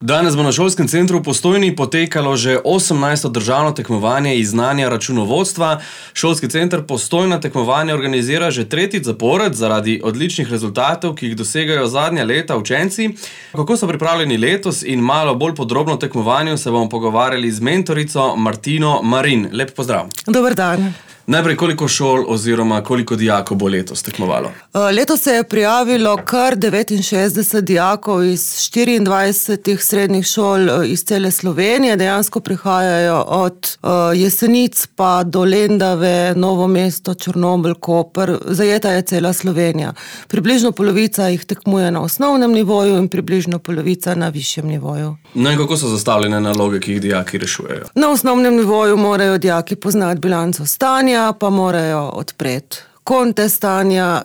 Danes bo na šolskem centru v Postojni potekalo že 18. državno tekmovanje iz znanja računovodstva. Šolski center Postojna tekmovanje organizira že tretjič zapored zaradi odličnih rezultatov, ki jih dosegajo zadnja leta učenci. Kako so pripravljeni letos in malo bolj podrobno o tekmovanju se bomo pogovarjali z mentorico Martino Marin. Lep pozdrav. Dober dan. Najprej, koliko šol oziroma koliko dijakov bo letos tekmovalo? Letos se je prijavilo kar 69 dijakov iz 24 srednjih šol iz cele Slovenije. Dejansko prihajajo od Jesenic pa do Lendave, Novo mesto, Črnomelj, Koper. Zajeta je cela Slovenija. Približno polovica jih tekmuje na osnovnem nivoju in približno polovica na višjem nivoju. No in kako so zastavljene naloge, ki jih dijaki rešujejo? Na osnovnem nivoju morajo dijaki poznati bilanco stanja, pa morajo odpreti konte stanja,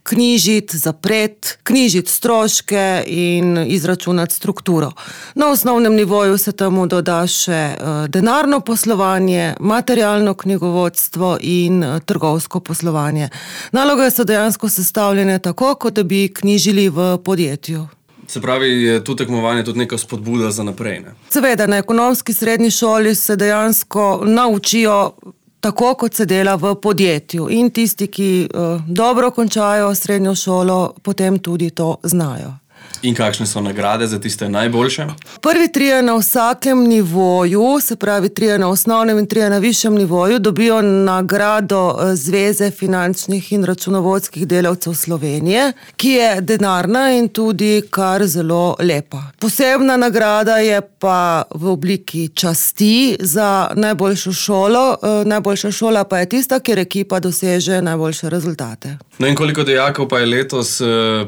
knjižiti, zapreti, knjižiti stroške in izračunati strukturo. Na osnovnem nivoju se temu doda še denarno poslovanje, materialno knjigovodstvo in trgovsko poslovanje. Naloge so dejansko sestavljene tako, kot da bi knjižili v podjetju. Se pravi, je tu tekmovanje tudi neka spodbuda za naprej, ne? Seveda, na ekonomski srednji šoli se dejansko naučijo tako, kot se dela v podjetju. In tisti, ki dobro končajo srednjo šolo, potem tudi to znajo. In kakšne so nagrade za tiste najboljše? Prvi trije na vsakem nivoju, se pravi trije na osnovnem in trije na višjem nivoju, dobijo nagrado Zveze finančnih in računovodskih delavcev Slovenije, ki je denarna in tudi kar zelo lepa. Posebna nagrada je pa v obliki časti za najboljšo šolo. Najboljša šola pa je tista, kjer ekipa doseže najboljše rezultate. No in koliko dijakov pa je letos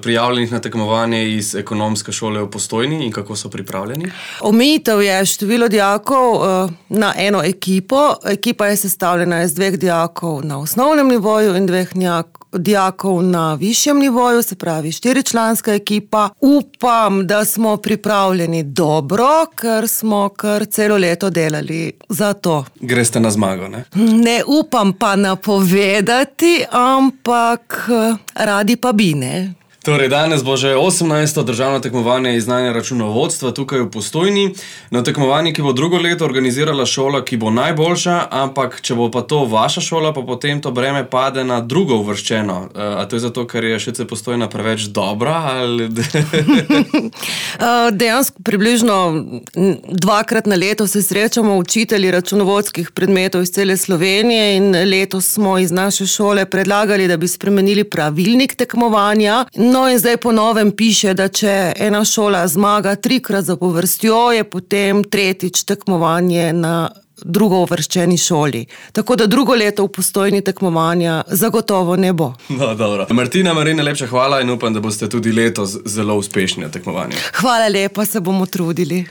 prijavljenih na tekmovanje iz ekonomske šole v Postojni in kako so pripravljeni? Omejitev je število dijakov na eno ekipo. Ekipa je sestavljena iz 2 dijakov na osnovnem nivoju in 2 dijakov na višjem nivoju, se pravi 4-članska ekipa. Upam, da smo pripravljeni dobro, ker smo kar celo leto delali za to. Greste na zmago, ne? Ne upam pa napovedati, ampak radi pa bi, ne? Torej, danes bo že 18. državno tekmovanje iz znanja računovodstva tukaj v Postojni. Na tekmovanje, ki bo drugo leto organizirala šola, ki bo najboljša, ampak če bo pa to vaša šola, pa potem to breme pade na drugo uvrščeno. A to je zato, ker je ŠC Postojna preveč dobra? Ali... Dejansko približno 2-krat na leto se srečamo učitelji računovodskih predmetov iz cele Slovenije in letos smo iz naše šole predlagali, da bi spremenili pravilnik tekmovanja. No in zdaj po novem piše, da če ena šola zmaga 3-krat zapovrstjo, je potem tretjič tekmovanje na drugo uvrščeni šoli. Tako da drugo leto v Postojni tekmovanja zagotovo ne bo. No, dobro. Martina Marin, najlepša hvala in upam, da boste tudi letos zelo uspešni na tekmovanju. Hvala lepa, se bomo trudili.